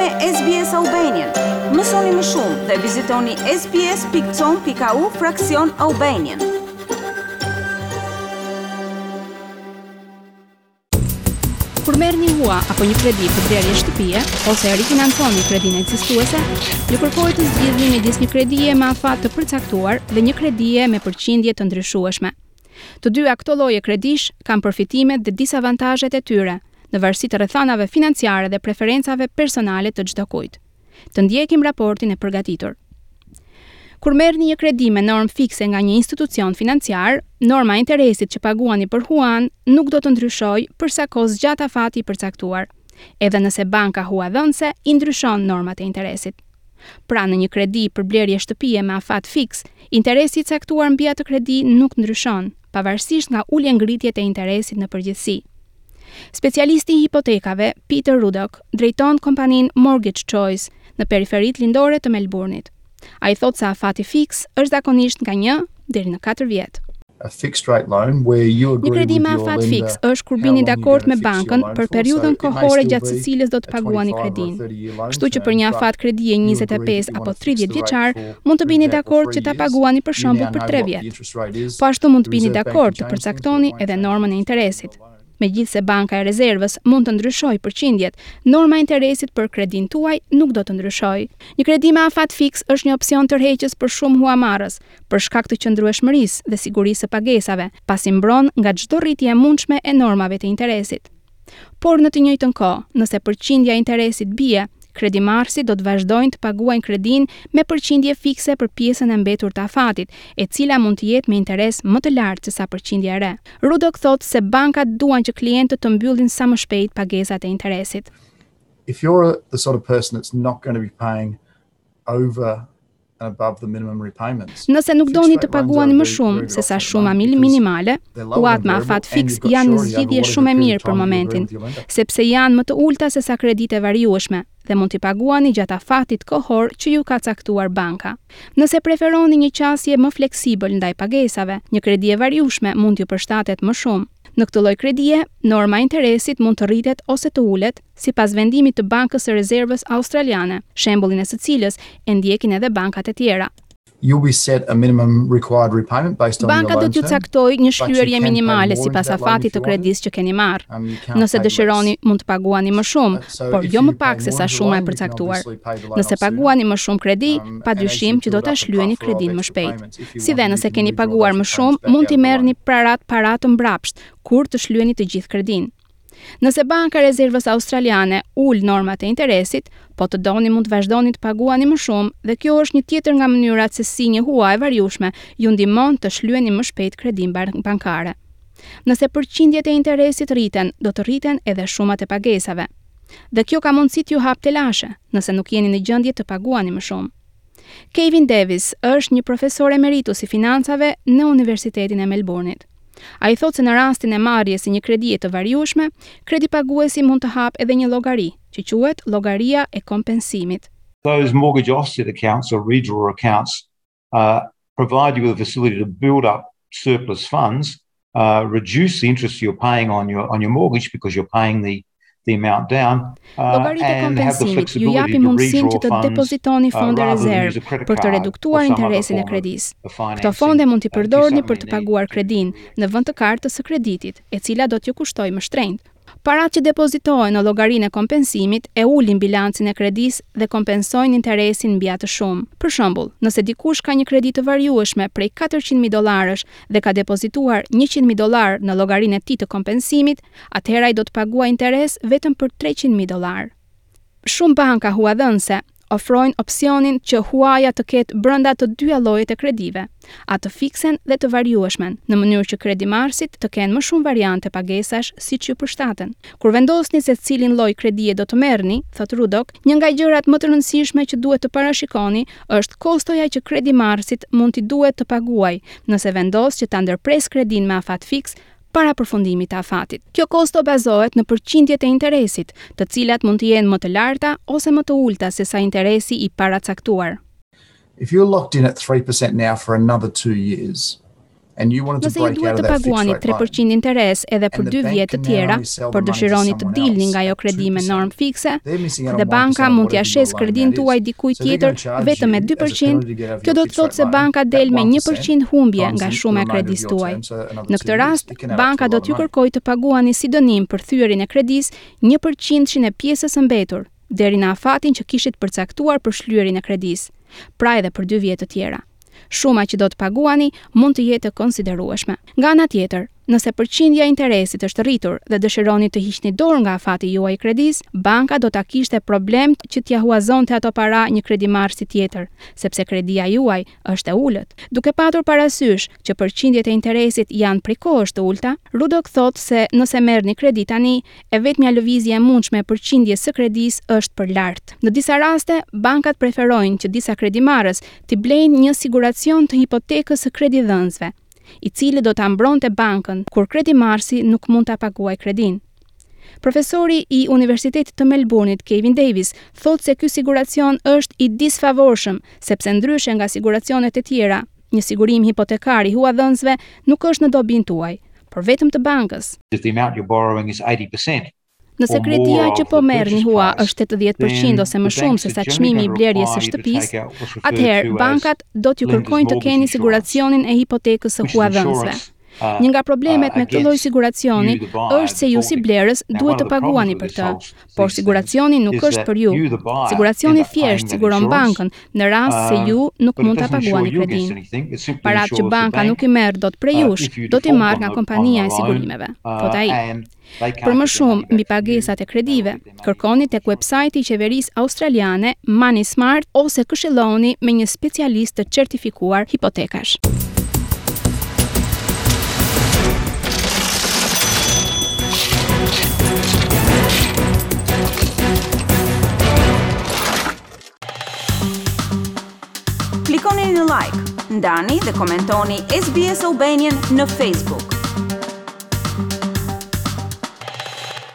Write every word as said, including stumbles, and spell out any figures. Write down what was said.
me S B S Albanian. Mësoni më shumë dhe vizitoni S B S pikë com pikë A U fraksion Albanian. Kur merrni hua apo një kredi për blerje shtëpie ose rifinanconi kredinë ekzistuese, ju kërkohet të zgjidhni midis një kredie me afat të përcaktuar dhe një kredie me përqindje të ndryshueshme. Të dyja këto lloje kredish kanë përfitimet dhe disavantazhet e tyre, në varësi të rrethanave financiare dhe preferencave personale të çdo kujt. Të ndjekim raportin e përgatitur. Kur merrni një kredi me normë fikse nga një institucion financiar, norma e interesit që paguani për huan nuk do të ndryshojë për sa kohë zgjat afati i përcaktuar, edhe nëse banka huadhënëse i ndryshon normat e interesit. Pra, në një kredi për blerje shtëpie me afat fiks, interesi i caktuar mbi atë kredi nuk ndryshon, pavarësisht nga ulje ngritjet e interesit në përgjithësi. Specialisti i hipotekave, Peter Ruddock, drejton kompaninë Mortgage Choice në periferitë lindore të Melbourne-it. Ai thotë se afati fiks është zakonisht nga një deri në katër vjet. A fixed rate loan where you Një kredi me afat fiks është kur bini dakord me bankën për periudhën kohore gjatë së cilës do të paguani kredinë. Kështu që për një afat kredie njëzet e pesë apo tridhjetë vjeçar, mund të bini dakord që ta paguani, për shembull, për tre vjet. Po ashtu, mund të bini dakord të përcaktoni edhe normën e interesit. Megjithëse Banka e Rezervës mund të ndryshojë përqindjet, norma e interesit për kredinë tuaj nuk do të ndryshojë. Një kredi me afat fiks është një opsion tërheqës për shumë huamarrës, për shkak të qëndrueshmërisë dhe sigurisë së pagesave, pasi mbron nga çdo rritje e mundshme e normave të interesit. Por në të njëjtën kohë, nëse përqindja e interesit bie, kredimarrësit do të vazhdojnë të paguajnë kredinë me përqindje fikse për pjesën e mbetur të afatit, e cila mund të jetë me interes më të lartë se sa përqindja e re. Ruddock thotë se bankat duan që klientët të mbyllin sa më shpejt pagesat e interesit. If you're the sort of person that's not going to be paying over and above the minimum repayments. Nëse nuk doni të paguani më shumë se sa shuma minimale, huat me afat fiks janë një zgjidhje shumë e mirë për momentin, sepse janë më të ulta se sa kreditë e variueshme dhe mund t'i paguani gjatë afatit kohor që ju ka caktuar banka. Nëse preferoni një qasje më fleksibël ndaj pagesave, një kredi e variueshme mund t'ju përshtatet më shumë. Në këtë lloj kredie, norma e interesit mund të rritet ose të ulet sipas vendimit të Bankës së Rezervës Australiane, shembullin e së cilës e ndjekin edhe bankat e tjera. You'll be set a minimum required repayment based on Banka do t'ju caktojë një shlyerje minimale sipas afatit të kredisë që keni marrë. Um, Nëse dëshironi, mund të paguani më shumë, por jo më pak se sa shuma e përcaktuar. Nëse paguani më shumë kredi, um, padyshim që do ta shlyeni kredinë më shpejt. Si dhe nëse keni paguar më shumë, mund t'i merrni parat para të mbrapsht kur të shlyeni të gjithë kredinë. Nëse Banka e Rezervës Australiane ul normat e interesit, po të doni mund të vazhdoni të paguani më shumë dhe kjo është një tjetër nga mënyrat se si një hua e variueshme ju ndihmon të shlyeni më shpejt kredinë bankare. Nëse përqindjet e interesit rriten, do të rriten edhe shumat e pagesave. Dhe kjo ka mundësi t'ju hap telashe, nëse nuk jeni në gjendje të paguani më shumë. Kevin Davis është një profesor emeritus i financave në Universitetin e Melbourne-it. Ai thotë se në rastin e marrjes së një kredie të variueshme, kredipaguesi mund të hap edhe një llogari, që quhet llogaria e kompensimit. Those mortgage offset accounts or redraw accounts uh, provide you with a facility to build up surplus funds, uh, reduce the interest you're paying on your on your mortgage because you're paying the the amount down uh, Llogaritë e kompensimit ju japin mundësinë që të depozitoni uh, fonde rezervë për të reduktuar interesin e kredisë. Këto fonde mund t'i përdorni për të paguar kredinë në vend të kartës së kreditit, e cila do t'ju kushtojë më shtrenjtë. Parat që depozitohen në llogarinë e kompensimit e ulin bilancin e kredisë dhe kompensojnë interesin mbi atë shumë. Për shembull, nëse dikush ka një kredi të variueshme prej katërqind mijë dollarësh dhe ka depozituar njëqind mijë dollar në llogarinë e tij të kompensimit, atëherë ai do të paguajë interes vetëm për treqind mijë dollar. Shumë banka huadhënëse ofrojnë opsionin që huaja të ketë brenda të dyja llojet e kredive, atë fiksen dhe të variueshmen, në mënyrë që kredimarrësit të kenë më shumë variante pagesash siç ju përshtaten. Kur vendosni se cilin lloj kredie do të merrni, thot Ruddock, një nga gjërat më të rëndësishme që duhet të parashikoni është kostoja që kredimarrësit mund t'i duhet të paguajë nëse vendos që ta ndërpres kredinë me afat fiks para përfundimit të afatit. Kjo kosto bazohet në përqindjet e interesit, të cilat mund të jenë më të larta ose më të ulta se sa interesi i paracaktuar. If you're locked in at three percent now for another two years, Nëse ju duhet të paguani tre përqind interes edhe për dy vjet të tjera, por dëshironi të dilni nga ajo kredi me normë fikse, dhe banka mund t'ia shesë kredinë tuaj dikujt tjetër vetëm me dy përqind, kjo do të thotë se banka del me një përqind humbje nga shuma e kredisë tuaj. Në këtë rast, banka do t'ju kërkojë të paguani si dënim për thyerjen e kredisë një përqindshin e pjesës së mbetur, deri në afatin që kishit përcaktuar për shlyerjen e kredisë, pra edhe për dy vjet të tjera. Shuma që do të paguani mund të jetë e konsiderueshme. Nga ana tjetër, nëse përqindja e interesit është rritur dhe dëshironi të hiqni dorë nga afati juaj i kredisë, banka do ta kishte problem që t'ia huazonte ato para një kredimarrësi tjetër, sepse kredia juaj është e ulët. Duke patur parasysh që përqindjet e interesit janë prej kohësh të ulta, Ruddock thotë se nëse merrni kredi tani, e vetmja lëvizje e mundshme e përqindjes së kredisë është për lart. Në disa raste, bankat preferojnë që disa kredimarrës t'i blejnë një siguracion të hipotekës së kredidhënësve, i cili do ta mbronte bankën kur kredimarrësi nuk mund ta paguajë kredinë. Profesori i Universitetit të Melbourne-it, Kevin Davis, thotë se ky siguracion është i disfavorshëm, sepse ndryshe nga siguracionet e tjera, një sigurim hipotekar i huadhënësve nuk është në dobinë tuaj, por vetëm të bankës. If the amount you're borrowing is eighty percent, Nëse or kredia more që of po the merrni purchase hua price, është tetëdhjetë përqind then ose më the shumë banks se are sa generally çmimi i gonna blerjes së require you to shtëpisë, take out what's referred atëherë to as bankat do t'ju lender's kërkojnë të mortgage keni insurance, siguracionin e hipotekës së which is huadhënësve. insurance, uh, Një nga problemet uh, me këtë lloj against siguracioni you, the buyer, është se ju si defaulting. blerës Now, duhet one të of the problems paguani with për this të, whole these por things siguracioni nuk is është that për ju. you, the buyer, Siguracioni end up paying thjesht that siguron insurance, bankën në rast se um, ju nuk but it mund ta doesn't insure paguani you against kredinë. anything. It simply Paratë që insures the banka bank, nuk i merr dot prej uh, jush, if you do t'i default marrë on nga the, on kompania the e loan, sigurimeve, uh, thot ai. and they Për can't më get their shumë money mbi back from you. pagesat e They will kredive, get their money kërkoni from tek the website-i i qeverisë australiane Money Smart ose këshilloni me një specialist të certifikuar hipotekash. Klikoni në like, ndani dhe komentoni S B S Albanian në Facebook.